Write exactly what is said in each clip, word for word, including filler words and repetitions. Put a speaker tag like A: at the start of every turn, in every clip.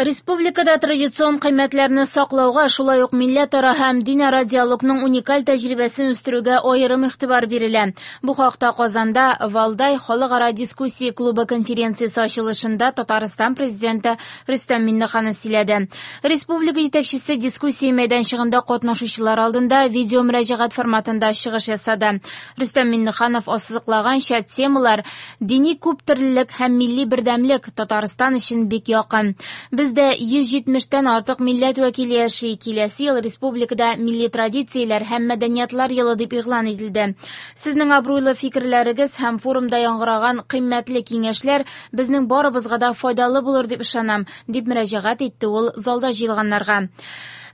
A: Республикада традицион кыйммәтләрне саклауга, шулай ук милләтара һәм динара диалогның уникаль тәҗрибәсен үстерүгә аерым игътибар бирелә. Бу хакта Казанда Валдай халыкара дискуссия клубы конференциясе ачылышында Татарстан президенты Рөстәм Миңнеханов сөйләде. Республика җитәкчесе дискуссия мәйданчыгында катнашучылар алдында видео мөрәҗәгать форматында чыгыш ясады. Рөстәм Миңнеханов ассызыклаганча, темалар дини күптөрлелек һәм милли бердәмлек Татарстан өчен бик якын. Бездә йөз җитмештән артык милләт вәкиле яши. Киләсе ел республикада милли традицияләр һәм мәдәниятлар елы дип игълан ителде. Сезнең абруйлы фикерләрегез һәм форумда яңгыраган кыйммәтле киңәшләр безнең барыбызга да файдалы булыр дип ышанам, дип мөрәҗәгать итте ул залда җыелганнарга.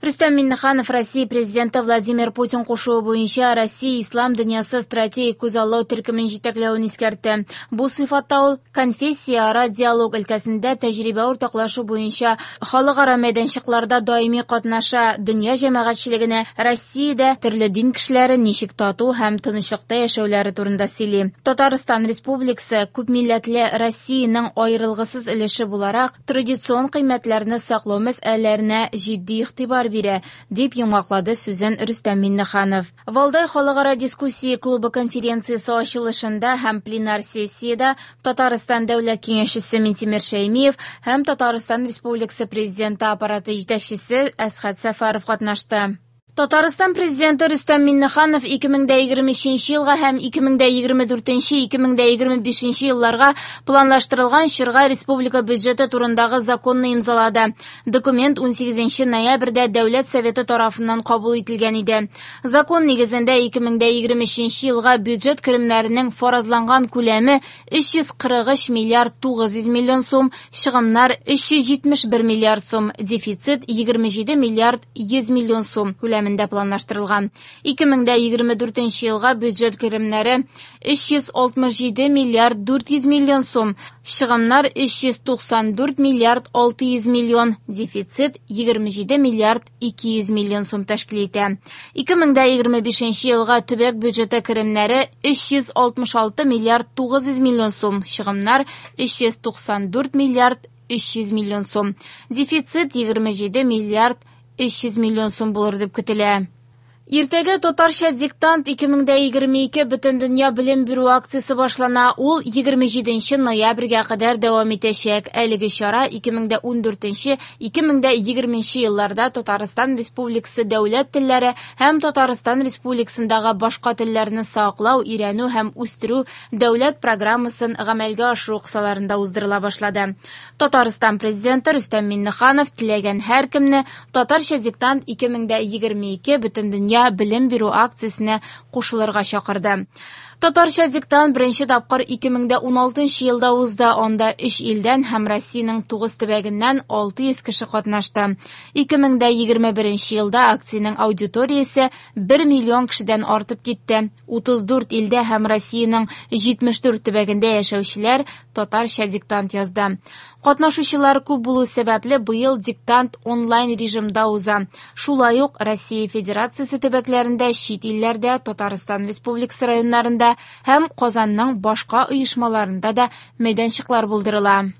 A: Рөстәм Миңнеханов Россия президенты Владимир Путин кушуы буенча Россия Ислам дөньясы стратегик күзаллау төркемен җитәкләвен искәртте. Бу сыйфатта ул конфессияара диалог өлкәсендә тәҗрибә уртаклашу буенча халыкара мәйданчыкларда даими катнаша, дөнья җәмәгатьчелегенә Россиядә төрле дин кешеләре ничек тату һәм тынычлыкта яшәүләре турында сөйли. Татарстан Республикасы күпмилләтле Россиянең аерылгысыз өлеше буларак традицион кыйммәтләрне саклау мәсьәләләренә җитди игътибар бирә, дип йомгаклады сүзен Рөстәм Миңнеханов. Валдай халыкара дискуссия клубы конференциясе ачылышында һәм пленар сессиядә Татарстан Дәүләт Киңәшчесе Минтимер Шәймиев һәм Татарстан Республикасы Президенты аппараты җитәкчесе Әсхәт Сәфәров катнашты. Татарстан президенты Рөстәм Миңнеханов ике мең дә егерме өченче елга һәм ике мең дә егерме дүртенче, ике мең дә егерме бишенче елларга планлаштырылган чорга республика бюджеты турындагы законны имзалады. Документ унсигезенче ноябрьдә Дәүләт Советы тарафыннан кабул ителгән иде. Закон нигезендә ике мең дә егерме өченче елга бюджет керемнәренең фаразланган күләме өч йөз кырык өч миллиард тугыз йөз миллион сум, чыгымнар өч йөз җитмеш бер миллиард сум, дефицит егерме җиде миллиард йөз миллион сум күләмендә планлаштырылган. Ике мең дә егерме дүртенче елга бюджет керемнәре өч йөз алтмыш җиде миллиард дүрт йөз миллион сум, чыгымнар өч йөз туксан дүрт миллиард алты йөз миллион, дефицит егерме җиде миллиард ике йөз миллион сум тәшкил итә. Ике мең дә егерме бишенче елга төбәк бюджеты керемнәре өч йөз алтмыш алты миллиард тугыз йөз миллион сум, чыгымнар өч йөз туксан дүрт миллиард өч йөз миллион сум, дефицит егерме җиде миллиард өч йөз миллион сум булыр дип көтелә. Иртәгә татарча диктант ике мең дә егерме ике бөтендөнья белем бирү акциясе башлана. Ул егерме җиденче ноябрьгә кадәр дәвам итәчәк. Әлеге чара ике мең дә ундүртенче, ике мең дә егерменче елларда Татарстан Республикасы дәүләт телләре һәм Татарстан Республикасындагы башка телләрне саклау, өйрәнү һәм үстерү дәүләт программасын гамәлгә ашыру кысаларында уздырыла башлады. Татарстан президенты Рөстәм Миңнеханов теләгән һәркемне татарча диктант ике мең дә егерме ике бөтендөнья белем бирү акциясенә кушылырга чакырды. Татарча диктант беренче тапкыр ике мең дә уналтынчы елда узды. Анда өч илдән һәм Россиянең тугыз төбәгеннән алты йөз кеше катнашты. Ике мең дә егерме беренче елда акциянең аудиториясе бер миллион кешедән артып китте. Утыз дүрт илдә һәм Россиянең җитмеш дүрт төбәгендә яшәүчеләр татарча диктант язды. Катнашучылар күп булу сәбәпле быел диктант онлайн режимда уза. Шулай ук Россия Федерациясе төбәкләрендә, чит илләрдә, Татарстан Республикасы районнарында һәм Казанның башка оешмаларында да мәйданчыклар булдырыла.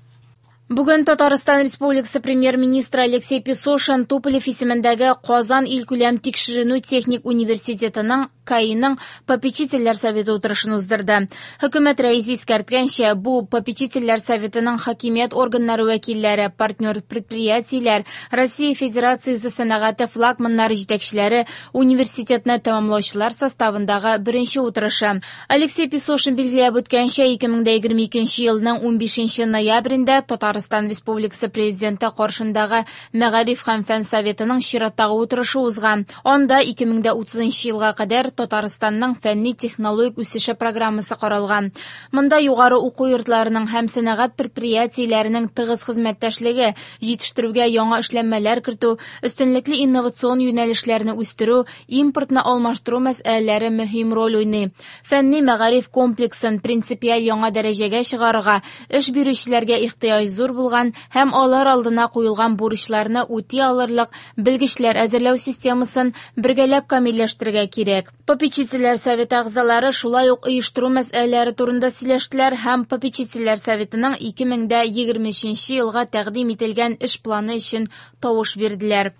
A: Бүген Татарстан Республикасы премьер-министры Алексей Песошин Туполев исемендәге Казан илкүләм тикшеренү техник университетының КАИның попечительләр советы утырышын уздырды. Хөкүмәт рәисе искәрткәнчә, бу попечительләр советының хакимият органнары вәкилләре, партнер предприятиеләр, Россия Федерациясе сәнәгате флагманнары җитәкчеләре университетны тәмамлаучылар составындагы беренче утырышы. Алексей Песошин билгеләп үткәнчә, ике мең дә егерме икенче елның унбишенче ноябрендә Татарстан Республикасы президенты каршындагы Мәгариф һәм фән советының чираттагы утырышы узган. Анда ике мең дә утызынчы елга кадәр Татарстанның фәнни технологик үсеше программасы каралган. Монда югары уку йортларының һәм сәнәгать предприятиеләренең тыгыз хезмәттәшлеге, җитештерүгә яңа эшләнмәләр кертү, өстенлекле инновацион юнәлешләрне үстерү, импортны алмаштыру мәсьәләләре мөһим роль уйный. Фәнни мәгариф комплексын принципиаль яңа дәрәҗәгә чыгарырга, эш бирүчеләргә ихтыяҗ зур булган һәм алар алдына куелган бурычларны үти алырлык белгечләр әзерләү системасын бергәләп камилләштерергә кирәк. Попечительләр советы әгъзалары шулай ук оештыру мәсьәләләре турында сөйләштеләр һәм попечительләр советының ике мең дә егерме өченче елга тәкъдим ителгән эш планы өчен тавыш бирделәр.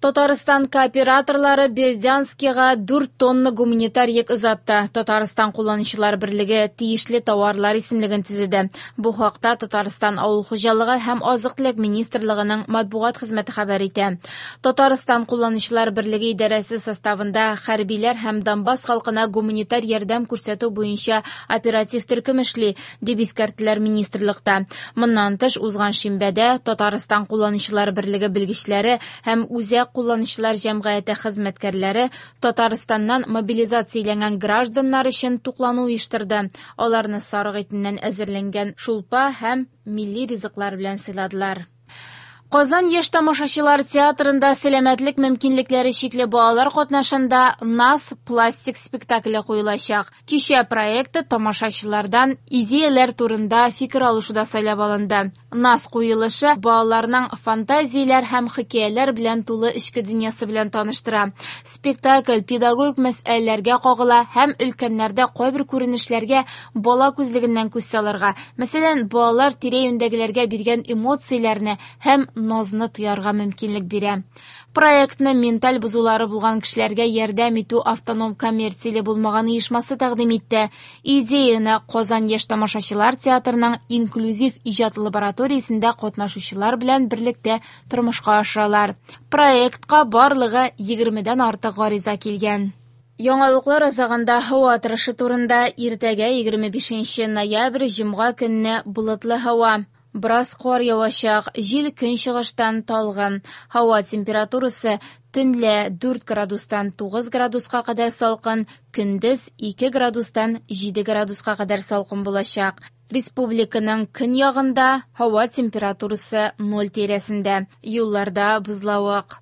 A: Татарстан кооператорлары Бердянскига дүрт тонна гуманитар йөк озатты. Татарстан кулланучылар берлеге тиешле товарлар исемлеген төзеде. Бу хакта Татарстан авыл хуҗалыгы һәм азык-төлек министрлыгының матбугат хезмәте хәбәр итә. Татарстан кулланучылар берлеге идарәсе составында хәрбиләр һәм Донбасс халкына гуманитар ярдәм күрсәтү буенча оператив төркем эшли, дип искәрттеләр министрлыкта. Моннан тыш, узган шимбәдә Татарстан кулланучылар берлеге белгечләре һәм үзәк кулланучылар җәмгыяте хезмәткәрләре Татарстаннан мобилизацияләнгән гражданнар өчен туклану оештырды. Аларны сарык итеннән әзерләнгән шулпа һәм милли ризыклар белән сыйладылар. Казан яшь тамашачылар театрында сәламәтлек мөмкинлекләре чикле балалар катнашында «Нас» пластик спектакле куелачак. Кичә проекты тамашачылардан идеяләр турында фикер алышуда сайлап алынды. «Нас» куелышы балаларның фантазияләр һәм хикәяләр белән тулы эчке дөньясы белән таныштыра. Спектакль педагогик мәсьәләләргә кагыла һәм өлкәннәрдә кайбер күренешләргә бала күзлегеннән күз салырга, мәсәлән, балалар тирә-юньдәгеләргә биргән эмоцияләрне һәм назны тоярга мөмкинлек бирә. Проектны менталь бозулары булган кешеләргә ярдәм итү автоном коммерцияле булмаган оешмасы тәкъдим итте. Идеяны Казан яшь тамашачылар театрының инклюзив иҗат лабораториясендә катнашучылар белән берлектә тормышка ашыралар. Проектка барлыгы егермедән артык гариза килгән. Яңалыклар азагында һава торышы турында. Иртәгә егерме бишенче ноябрь җомга көнне болытлы һава. Бераз кар явачак, җил көнчыгыштан талгын. Һава температурасы төнлә дүрт градустан тугыз градуска кадәр салкын, көндез ике градустан җиде градуска кадәр салкын булачак. Республиканың көньягында һава температурасы ноль тирәсендә. Юлларда бозлавык.